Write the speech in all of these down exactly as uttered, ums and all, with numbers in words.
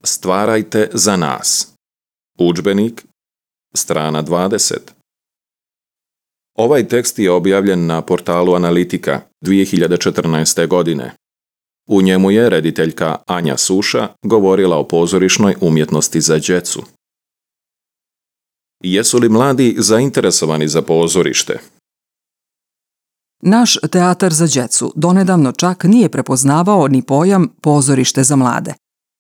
Stvarajte za nas. Udžbenik, strana dvadeset. Ovaj tekst je objavljen na portalu Analitika dvije hiljade četrnaeste. godine. U njemu je rediteljka Anja Suša govorila o pozorišnoj umjetnosti za djecu. Jesu li mladi zainteresovani za pozorište? Naš teatar za djecu donedavno čak nije prepoznavao ni pojam pozorište za mlade.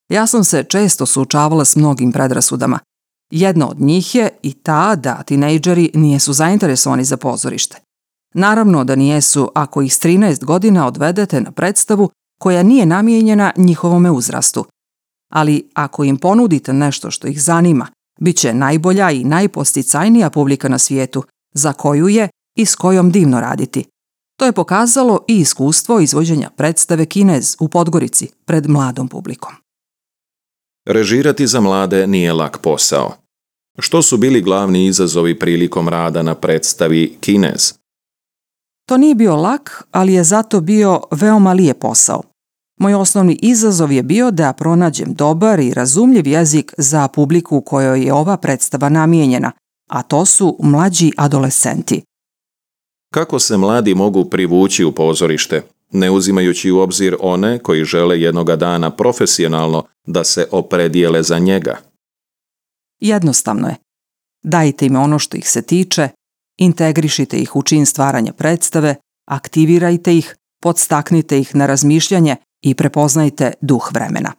Ja sam se često suočavala s mnogim predrasudama. Jedna od njih je i ta da tinejdžeri nijesu zainteresovani za pozorište. Naravno da nijesu ako ih s trinaest godina odvedete na predstavu koja nije namijenjena njihovome uzrastu. Ali ako im ponudite nešto što ih zanima, bit će najbolja i najposticajnija publika na svijetu, za koju je i s kojom divno raditi. To je pokazalo i iskustvo izvođenja predstave Kinez u Podgorici pred mladom publikom. Režirati za mlade nije lak posao. Što su bili glavni izazovi prilikom rada na predstavi Kinez? To nije bio lak, ali je zato bio veoma lijep posao. Moj osnovni izazov je bio da pronađem dobar i razumljiv jezik za publiku kojoj je ova predstava namijenjena, a to su mlađi adolescenti. Kako se mladi mogu privući u pozorište, ne uzimajući u obzir one koji žele jednoga dana profesionalno da se opredijele za njega? Jednostavno je. Dajte im ono što ih se tiče, integrišite ih u čin stvaranja predstave, aktivirajte ih, podstaknite ih na razmišljanje i prepoznajte duh vremena.